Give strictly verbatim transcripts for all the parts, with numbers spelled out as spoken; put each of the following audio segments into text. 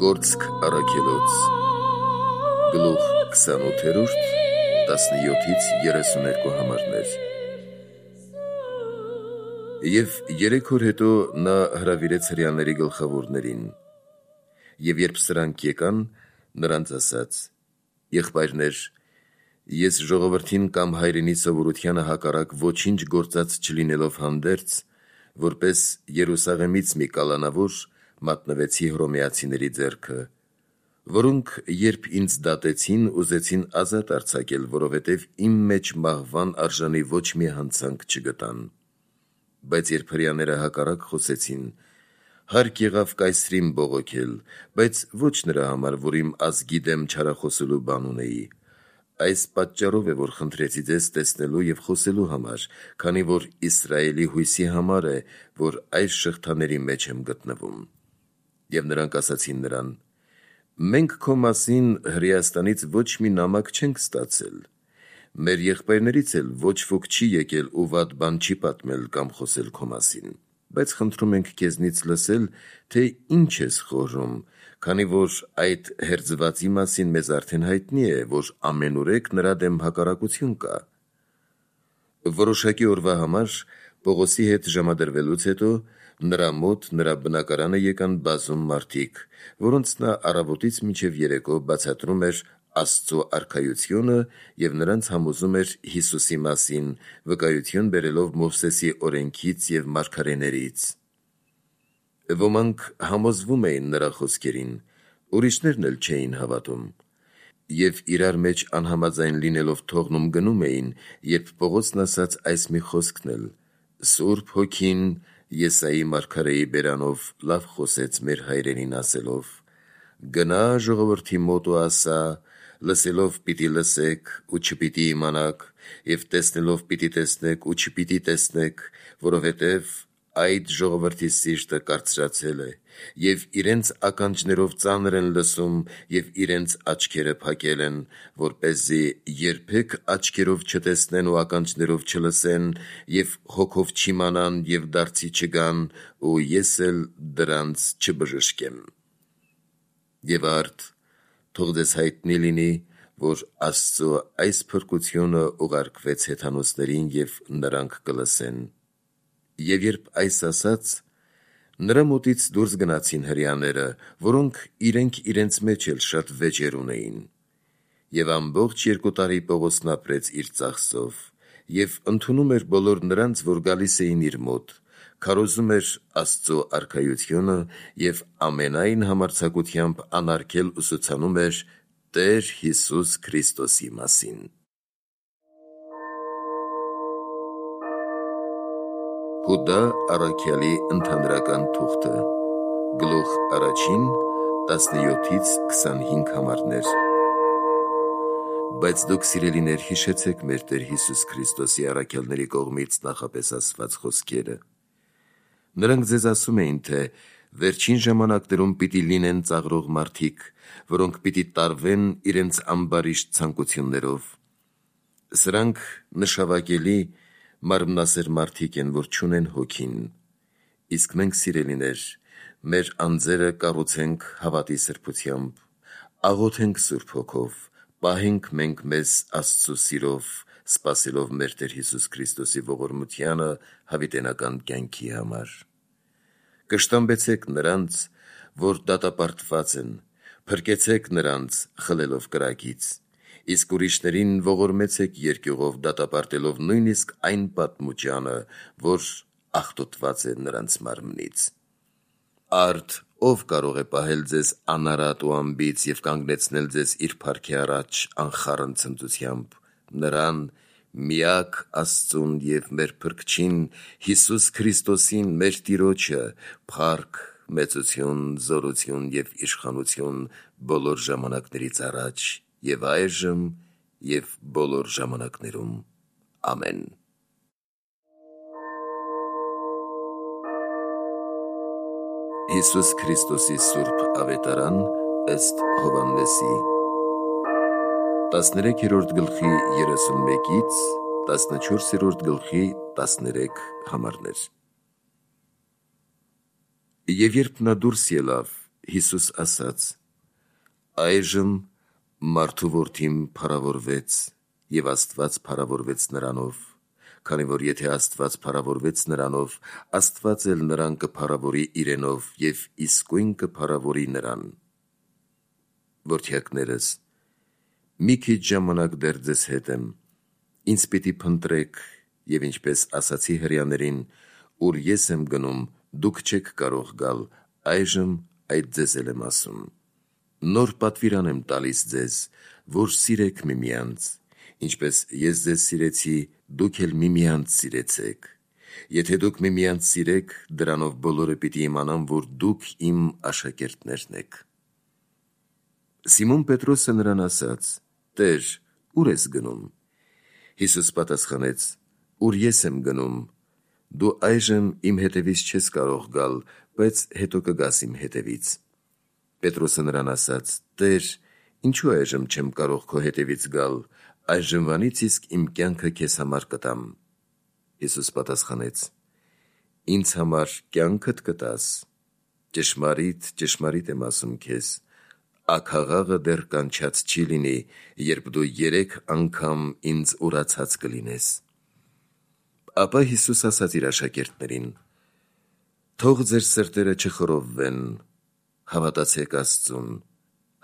Գործք առաքելոց գլուխ քսանութերորդ տասնյոթից երեսուներկու համարներ։ Եվ երեք օր հետո նա հրավիրեց հրեաների գլխավորներին, և երբ սրանք եկան, նրանց ասաց. «Եղբայրներ, ես ժողովրդին կամ հայրենի սովորությանը հակառակ ոչինչ գործած չլինելով հանդերձ, որպես Երուսաղեմից մի կալանավոր մատնվեցի հռոմեացիների ձեռքը, որոնք երբ ինձ դատեցին, ուզեցին ազատ արձակել, որովհետև իմ մեջ մահվան արժանի ոչ մի հանցանք չգտան։ Բայց երբ հրեաները հակառակ խոսեցին, հարկ եղավ Կայսրին բողոքել, բայց ոչ նրա համար, որ իմ ազգի դեմ չարախոսելու բան ունեի։ Այս պատճառով է, որ խնդրեցի ձեզ տեսնելու և խոսելու համար, քանի որ Իսրայելի հույսի համար է, որ այս շղթաների մեջ եմ գտնվում»։ Եվ նրանք ասացին նրան. «Մենք քո մասին Հրեաստանից ոչ մի նամակ չենք ստացել, մեր եղբայրներից էլ ոչ ոք չի եկել ու վատ բան չի պատմել կամ խոսել քո մասին, բայց խնդրում ենք քեզնից լսել, թե ինչ ես խորհում, քանի որ այդ հերձվածի մասին մեզ արդեն հայտնի է, որ ամենուրեք նրա դեմ հակառակություն կա»։ Որոշակի օրվա համար Պողոսի հետ ժամադրվելուց հետո նրա մոտ նրա բնակարանը եկան բազում մարդիկ, որոնց նա առավոտից մինչև երեկո բացատրում էր Աստծո արքայությունը և նրանց համոզում էր Հիսուսի մասին, վկայություն բերելով Մովսեսի օրենքից և մարգարեներից։ Ոմանք համոզվում էին նրա խոսքերին, ուրիշներն էլ չէին հավատում, և իրար մեջ անհամաձայն լինելով թողնում գնում էին, երբ Պողոսն ասաց այս մի խոսքն էլ. «Սուրբ Հոգին Եսայի մարգարեի բերանով լավ խոսեց մեր հայրենին ասելով. «Գնա ժողովրդի մոտ ու ասա. լսելով պիտի լսեք ու չպիտի իմանաք, և տեսնելով պիտի տեսնեք ու չպիտի տեսնեք, որովհետև այդ ժողովրդի սիրտը կարծրացել է, և իրենց ականջներով ծանր են լսում, և իրենց աչքերը փակել են, որպեսզի երբեք աչքերով չտեսնեն ու ականջներով չլսեն, և հոգով չիմանան և դարձի չգան, ու ես էլ դրանց չբժշկեմ»։ Եվ արդ թող ձեզ հայտնի լինի, որ Աստծո այս փրկությունը ուղարկվեց հեթանոսներին, և նրանք կլսեն։ Եվ երբ այս ասաց, նրա մոտից դուրս գնացին հրեաները, որոնք իրենք իրենց մեջ էլ շատ վեճեր ունեին։ Եվ ամբողջ երկու տարի Պողոսն ապրեց իր ծախսով, և ընդունում էր բոլոր նրանց, որ գալիս էին իր մոտ, քարոզում էր Աստծո արքայությունը և ամենայն համարձակությամբ անարգել ուսուցանում էր Տեր Հիսուս Քրիստոսի մասին։ Հուդա առաքյալի ընդհանրական թուղթը գլուխ առաջին տասնյոթից քսանհինգ համարներ։ Բայց դուք, սիրելիներ, հիշեցեք մեր Տեր Հիսուս Քրիստոսի առաքյալների կողմից նախապես ասված խոսքերը։ Նրանք ձեզ ասում էին, թե վերջին ժամանակներում պիտի լինեն ծաղրող մարդիկ, որոնք պիտի տարվեն իրենց ամբարիշտ ցանկություններով։ Սրանք նշավակելի մարմնասեր մարդիկ են, որ չունեն Հոգին։ Իսկ մենք, սիրելիներ, մեր անձերը կառուցենք հավատի սրբությամբ, աղոթենք Սուրբ Հոգով, պահենք մենք մեզ Աստծո սիրով, սպասելով մեր Տեր Հիսուս Քրիստոսի ողորմությանը հավիտենական կյանքի համար։ Կշտամբեցեք նրանց, որ դատապարտված են, փրկեցեք նրանց խլելով կրակից, իսկ ուրիշներին ողորմեցեք երկյուղով դատապարտելով նույնիսկ այն պատմուճանը, որ աղտոտված է նրանց մարմնից։ Արդ ով կարող է պահել ձեզ անարատ ու անբիծ և կանգնեցնել ձեզ իր փառքի առաջ անխառն ցնծությամբ, նրան, միակ Աստծուն և մեր Փրկչին Հիսուս Քրիստոսին, մեր Տիրոջը, փառք, մեծություն, զորություն և իշխանություն բոլոր ժամանակներից առաջ և այժմ և բոլոր ժամանակներում։ Ամեն։ Հիսուս Քրիստոսի սուրբ ավետարան ըստ Հովհաննեսի տասներեքերորդ գլխի երեսունմեկից տասնչորսերորդ գլխի տասներեք համարներ։ Եվ երբ նա դուրս ելավ, Հիսուս ասաց. «Այժմ մարդու որդին փառավորվեց, և Աստված փառավորվեց նրանով, քանի որ եթե Աստված փառավորվեց նրանով, Աստված էլ նրան կփառավորի իրենով և իսկույն կփառավորի նրան։ Որդյակներս, մի քիչ ժամանակ դեռ ձեզ հետ եմ, ինձ պիտի փնտրեք, և ինչպես ասացի հրեաներին, ուր ես եմ գնում, դուք չեք կարող գալ, այժմ այդ ձեզ էլ եմ ասում։ Նոր պատվիրան եմ տալիս ձեզ, որ սիրեք միմյանց, ինչպես ես ձեզ սիրեցի, դուք էլ միմյանց սիրեցեք։ Եթե դուք միմյանց սիրեք, դրանով բոլորը պիտի իմանան, որ դուք իմ աշակերտներն եք»։ Սիմոն Պետրոսը նրան ասաց. «Տեր, ուր ես գնում»։ Հիսուս պատասխանեց. «Ուր ես եմ գնում, դու այժմ իմ հետևից չես կարող գալ, բայց հետո կգաս իմ հետևից»։ Պետրոսը նրան ասաց. «Տեր, ինչու այժմ չեմ կարող քո հետևից գալ, այժմվանից իսկ իմ կյանքը քեզ համար կտամ»։ Հիսուս պատասխանեց. «Ինձ համար կյանքդ կտաս։ Ճշմարիտ, ճշմարիտ եմ ասում քեզ, աքաղաղը դեռ կանչած չի լինի, երբ դու երեք անգամ ինձ ուրացած կլինես»։ Ապա Հիսուս ասաց իր աշակերտներին. «Թող ձեր սրտերը չխռովվեն, հավատացեք Աստծուն,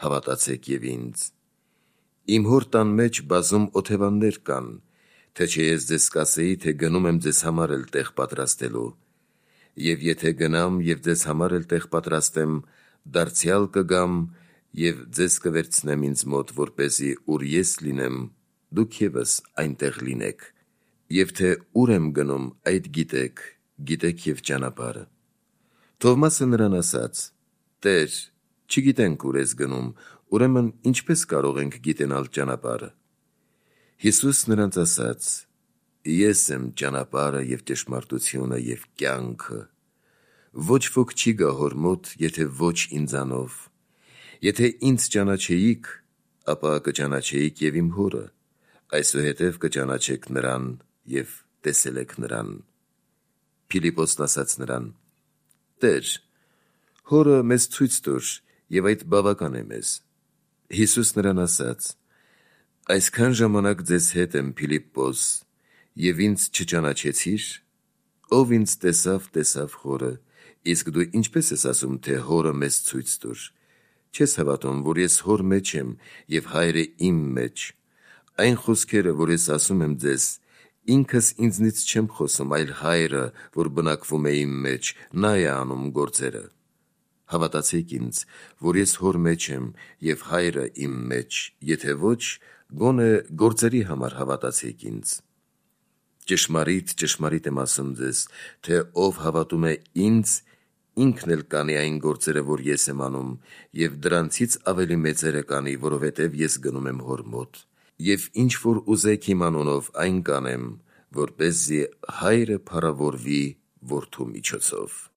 հավատացեք և ինձ։ Իմ հոր տան մեջ բազում օթևաններ կան, թե չէ ես ձեզ կասեի, թե գնում եմ ձեզ համար էլ տեղ պատրաստելու։ Եվ եթե գնամ և ձեզ համար էլ տեղ պատրաստեմ, դարձյալ կգամ և ձեզ կվերցնեմ ինձ մոտ, որպեսզի ուր ես լինեմ, դուք ևս այնտեղ լինեք։ Եվ թե ուր եմ գնում, այդ գիտեք, գիտեք և ճանապարհը»։ Թովմասը նրան ասաց. «Տեր, չգիտենք ուր ես գնում, ուրեմն ինչպե՞ս կարող ենք գիտենալ ճանապարհը»։ Հիսուս նրանց ասաց. «Ես եմ ճանապարհը և ճշմարտությունը և կյանքը. ոչ ոք չի գա հոր մոտ, եթե ոչ ինձանով։ Եթե ինձ ճանաչեիք, ապա կճանաչեիք և իմ հորը, այսուհետև կճանաչեք նրան և տեսել եք նրան»։ Փիլիպոսն ասաց նրան. «Տեր, հորը մեզ ցույց տուր, և այդ բավական է մեզ»։ Հիսուս նրան ասաց. «Այսքան ժամանակ ձեզ հետ եմ, Փիլիպպոս, և ինձ չճանաչեցի՞ր։ Ով ինձ տեսավ, տեսավ հորը, իսկ դու ինչպե՞ս ես ասում, թե հորը մեզ ցույց տուր։ Չես հավատում, որ ես հոր մեջ եմ, և Հայրը իմ մեջ։ Այն խոսքերը, որ ես ասում եմ ձեզ, ինքս ինձնից չեմ խոսում, այլ Հայրը, որ բնակվում է իմ մեջ, նա է անում գործերը։ Հավատացեք ինձ, որ ես հոր մեջ եմ, և Հայրը իմ մեջ, եթե ոչ, գոնե գործերի համար հավատացեք ինձ։ Ճշմարիտ, ճշմարիտ եմ ասում ձեզ, թե ով հավատում է ինձ, ինքն էլ կանի այն գործերը, որ ես եմ անում, և դրանցից ավելի մեծերը կանի, որովհետև ես գնում եմ հոր մոտ։ Եվ ինչ որ ուզեք իմ անունով, այն կանեմ, որպեսզի Հայրը փառավորվի Որդու միջոցով։